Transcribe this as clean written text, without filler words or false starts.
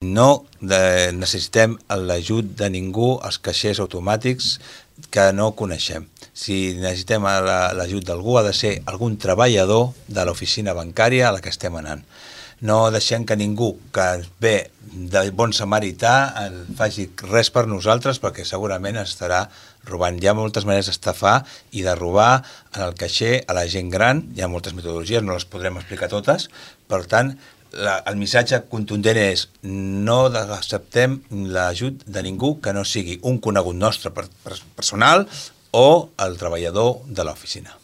No necessitem l'ajut de ningú als caixers automàtics que no coneixem. Si necessitem l'ajut d'algú, ha de ser algun treballador de l'oficina bancària a la que estem anant. No deixem que ningú que ve de bon samarità faci res per nosaltres, perquè segurament estarà robant. Hi ha moltes maneres d'estafar i de robar en el caixer a la gent gran. Hi ha moltes metodologies, no les podrem explicar totes. Per tant, el missatge contundent és: no acceptem l'ajut de ningú que no sigui un conegut nostre personal o el treballador de l'oficina.